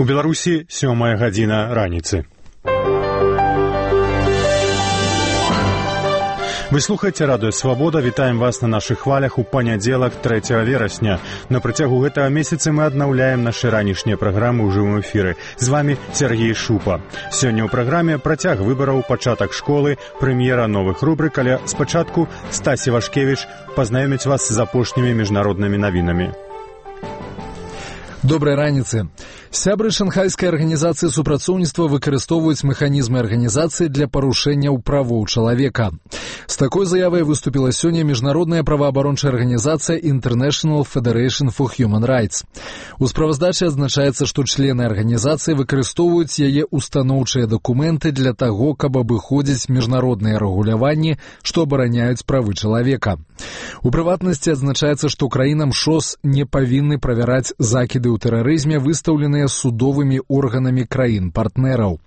У Беларусі 7 гадзіна раніцы. Вы слухаеце радыё «Свабода». Вітаем вас на нашых хвалях у панядзелак 3 верасня. На працягу гэтага месяца мы аднаўляем нашы ранішнія праграмы ў жывым эфіры. З вами Сергей Шупа. Сёння ў праграме працяг выбараў, пачатак школы, прэм'ера новых рубрык, але спачатку Стасі Вашкевіч пазнаёміць вас з апошнімі міжнароднымі навінамі. Добрай раніцы. Сябры шанхайскай арганізацыі супрацоўніцтва выкарыстоўваюць механізмы арганізацыі для парушэнняў правоў чалавека. З такой заявай выступіла сёння міжнародная праваабарончая арганізацыя International Federation for Human Rights. У справаздачы адзначаецца, што члены арганізацыі выкарыстоўваюць яе устаноўчыя дакументы для таго, каб абыходзіць міжнародныя рэгуляванні, што абараняюць правы чалавека. У прыватнасці адзначаецца, што краінам ШОС не павінны правяраць закіды ў тэрарызме, выстаўленыя судовымі органамі краін-партнераў.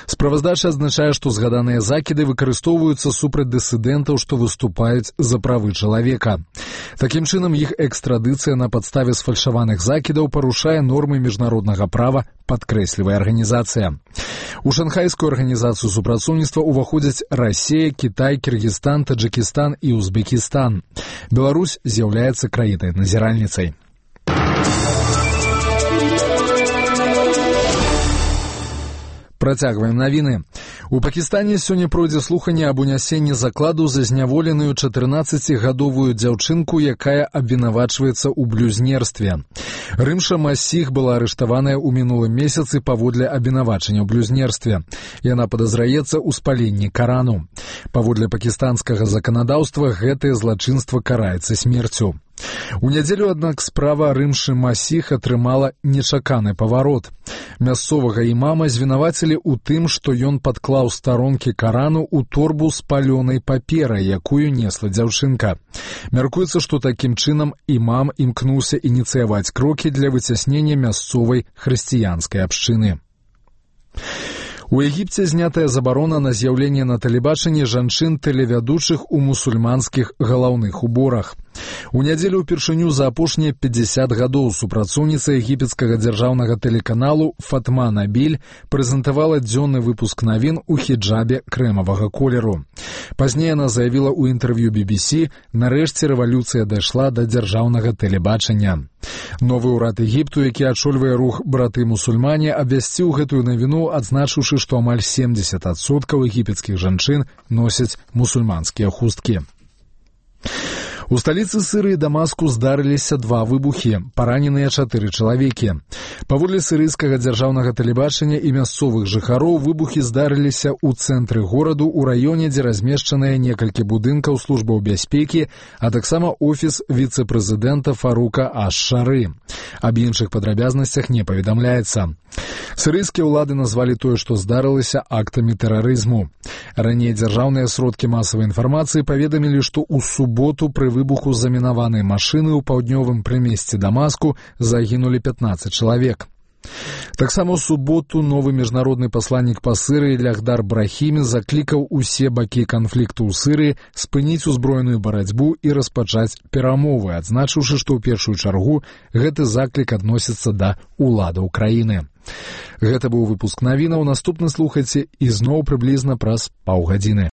Справаздача адзначае, што згаданыя закіды выкарыстоўваюцца супраць дысідэнтаў, што выступаюць за правы чалавека. Такім чынам, іх экстрадыцыя на падставе сфальшаваных закідаў парушае нормы міжнароднага права, падкрэслівае арганізацыя. У шанхайскую арганізацыю супрацоўніцтва ўваходзяць Расія, Кітай, Кіргізстан, Таджыкістан і Узбекістан. Беларусь з'яўляецца краінай-назіральніцай. Працягваем навіны. У Пакістане сёння пройдзе слуханне аб унясенні закладу за зняволеную 14-гадовую дзяўчынку, якая абвінавачваецца ў блюзнерстве. Рымша Масіх была арыштаваная ў мінулым месяцы паводле абвінавачання ў блюзнерстве. Яна падазраецца ў спаленні Карану. Паводле пакістанскага заканадаўства гэтае злачынства караецца смерцю. У нядзелю, аднак, справа Рымшы Масіх атрымала нечаканы паварот. Мясцовага імама звінавацілі ў тым, што ён падклаў старонкі Карану ў торбу з палёнай паперай, якую несла дзяўчынка. Мяркуецца, што такім чынам імам імкнуўся ініцыяваць крокі для выцяснення мясцовай хрысціянскай абшчыны. У Егіпце знятая забарона на з'яўленне на тэлебачанні жанчын-тэлевядучых у мусульманскіх галаўных уборах. У нядзелю ўпершыню за апошнія 50 гадоў супрацоўніца егіпецкага дзяржаўнага тэлеканалу Фатма Набіль прэзентавала дзённы выпуск навін у хіджабе крэмавага колеру. Пазней яна заявіла ў інтэрв'ю BBC, нарэшце рэвалюцыя дайшла да дзяржаўнага тэлебачання. Новы ўрад Егіпту, які ачольвае рух браты-мусульмане, абвясціў гэтую навіну, адзначыўшы, што амаль 70% егіпецкіх жанчын носяць мусульманскія хусткі. У сталіцы Сірыі Дамаску здарыліся 2 выбухі, параненыя 4 чалавекі. Паводле сірыйскага дзяржаўнага тэлебачання і мясцовых жыхароў, выбухі здарыліся ў цэнтры гораду, у раёне, дзе размешчаныя некалькі будынкаў службаў бяспекі, а таксама офіс віцэ-прэзідэнта Фарука Аш-Шары. Аб іншых падрабязнасцях не паведамляецца. Сірыйскія ўлады назвалі тое, што здарылася, актамі тэрарызму. Раней дзяржаўныя сродкі масавай інфармацыі паведамілі, што ў суботу пры выбуху замінаванай машыны ў паўднёвым прымесці Дамаску загінулі 15 чалавек. Таксама ў суботу новы міжнародны пасланнік па Сірыі Лягдар Брахімі заклікаў усе бакі канфлікту ў Сірыі спыніць узброеную барацьбу і распачаць перамовы, адзначыўшы, што ў першую чаргу гэты заклік адносіцца да ўладаў краіны. Гэта быў выпуск навінаў, наступны слухайце ізноў прыблізна праз паўгадзіны.